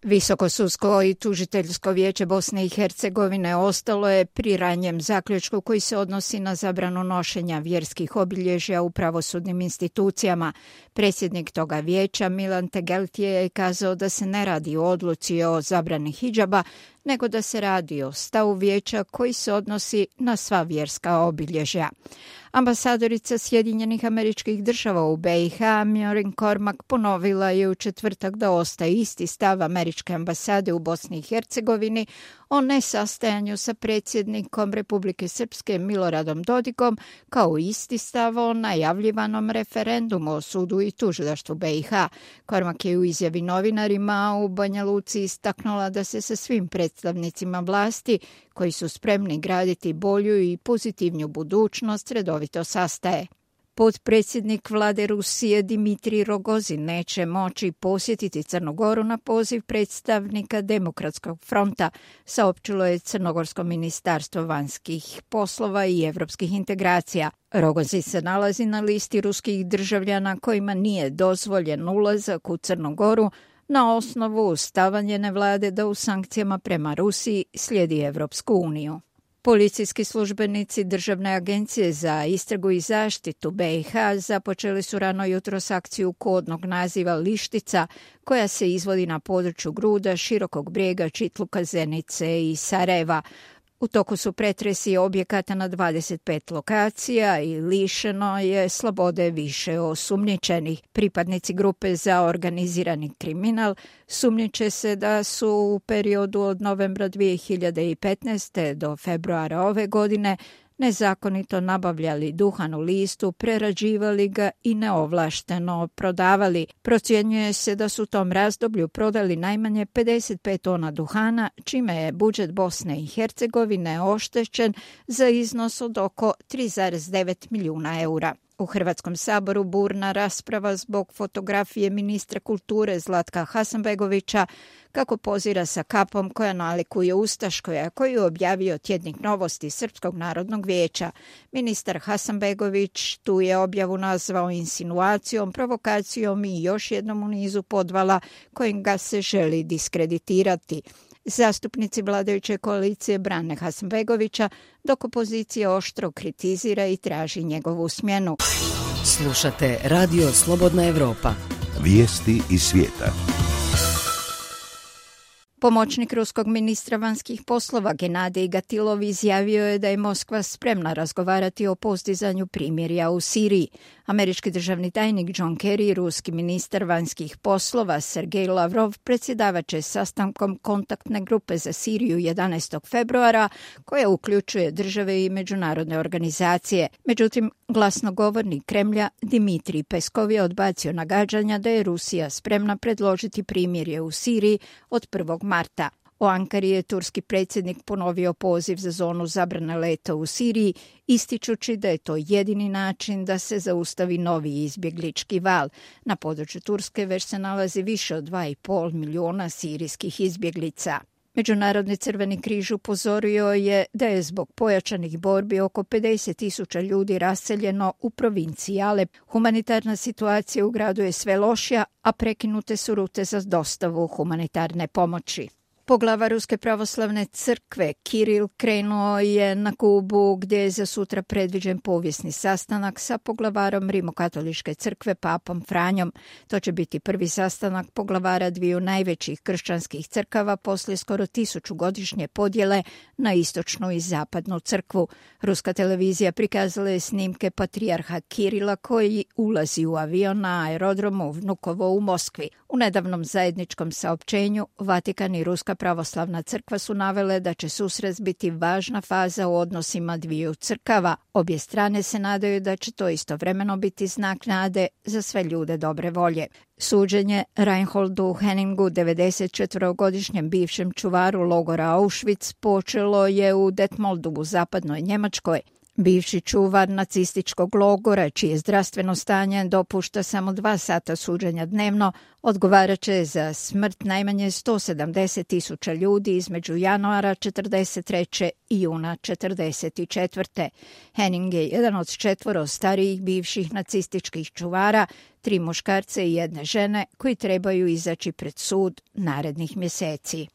Visoko sudsko i tužiteljsko vijeće Bosne i Hercegovine ostalo je pri ranjem zaključku koji se odnosi na zabranu nošenja vjerskih obilježja u pravosudnim institucijama. Predsjednik toga vijeća Milan Tegeltije je kazao da se ne radi o odluci o zabrani hidžaba, nego da se radi o stavu vijeća koji se odnosi na sva vjerska obilježja. Ambasadorica Sjedinjenih Američkih Država u BiH, Maureen Cormack, ponovila je u četvrtak da ostaje isti stav Američke ambasade u Bosni i Hercegovini o nesastajanju sa predsjednikom Republike Srpske Miloradom Dodikom, kao isti stav o najavljivanom referendumu o sudu i tužilaštvu BiH. Cormack je u izjavi novinarima u Banja Luci istaknula da se sa svim predstavnicima vlasti koji su spremni graditi bolju i pozitivniju budućnost redovito sastaje. Potpredsjednik vlade Rusije Dimitrij Rogozin neće moći posjetiti Crnu Goru na poziv predstavnika Demokratskog fronta, saopćilo je Crnogorsko ministarstvo vanjskih poslova i evropskih integracija. Rogozin se nalazi na listi ruskih državljana kojima nije dozvoljen ulazak u Crnu Goru na osnovu stava njene vlade da u sankcijama prema Rusiji slijedi Evropsku uniju. Policijski službenici Državne agencije za istragu i zaštitu BiH započeli su rano jutros akciju kodnog naziva Lištica, koja se izvodi na području Gruda, Širokog Brijega, Čitluka, Zenice i Sarajeva. U toku su pretresi objekata na 25 lokacija i lišeno je slobode više osumnjičenih. Pripadnici grupe za organizirani kriminal sumnjiče se da su u periodu od novembra 2015. do februara ove godine nezakonito nabavljali duhan u listu, prerađivali ga i neovlašteno prodavali. Procjenjuje se da su u tom razdoblju prodali najmanje 55 tona duhana, čime je budžet Bosne i Hercegovine oštećen za iznos od oko 3,9 milijuna eura. U Hrvatskom saboru burna rasprava zbog fotografije ministra kulture Zlatka Hasanbegovića kako pozira sa kapom koja nalikuje ustaškoj, a koju je objavio tjednik Novosti Srpskog narodnog vijeća. Ministar Hasanbegović tu je objavu nazvao insinuacijom, provokacijom i još jednom u nizu podvala kojim ga se želi diskreditirati. Zastupnici vladajuće koalicije brane Hasanbegovića, dok opozicija oštro kritizira i traži njegovu smjenu. Slušate Radio Slobodna Evropa. Vijesti iz svijeta. Pomoćnik ruskog ministra vanjskih poslova Genadij Gatilov izjavio je da je Moskva spremna razgovarati o postizanju primirja u Siriji. Američki državni tajnik John Kerry i ruski ministar vanjskih poslova Sergej Lavrov predsjedavat će sastankom kontaktne grupe za Siriju 11. februara, koja uključuje države i međunarodne organizacije. Međutim, glasnogovornik Kremlja Dimitrij Peskov je odbacio nagađanja da je Rusija spremna predložiti primirje u Siriji od 1. marta. U Ankari je turski predsjednik ponovio poziv za zonu zabrane leta u Siriji, ističući da je to jedini način da se zaustavi novi izbjeglički val. Na području Turske već se nalazi više od 2,5 milijuna sirijskih izbjeglica. Međunarodni Crveni križ upozorio je da je zbog pojačanih borbi oko 50.000 ljudi raseljeno u provinciji Alep. Humanitarna situacija u gradu je sve lošija, a prekinute su rute za dostavu humanitarne pomoći. Poglavar Ruske pravoslavne crkve Kiril krenuo je na Kubu gdje je za sutra predviđen povijesni sastanak sa poglavarom Rimokatoličke crkve papom Franjom. To će biti prvi sastanak poglavara dviju najvećih kršćanskih crkava poslije skoro 1000-godišnje podjele na istočnu i zapadnu crkvu. Ruska televizija prikazala je snimke patrijarha Kirila koji ulazi u avion na aerodromu Vnukovo u Moskvi. U nedavnom zajedničkom saopćenju Vatikan i Ruska pravoslavna crkva su navele da će susret biti važna faza u odnosima dviju crkava. Obje strane se nadaju da će to istovremeno biti znak nade za sve ljude dobre volje. Suđenje Reinholdu Henningu, 94-godišnjem bivšem čuvaru logora Auschwitz, počelo je u Detmoldu u zapadnoj Njemačkoj. Bivši čuvar nacističkog logora, čije zdravstveno stanje dopušta samo 2 sata suđenja dnevno, odgovarat će za smrt najmanje 170.000 ljudi između januara 1943. i juna 1944. Henning je jedan od 4 starijih bivših nacističkih čuvara, 3 muškarca i 1 žene koji trebaju izaći pred sud narednih mjeseci.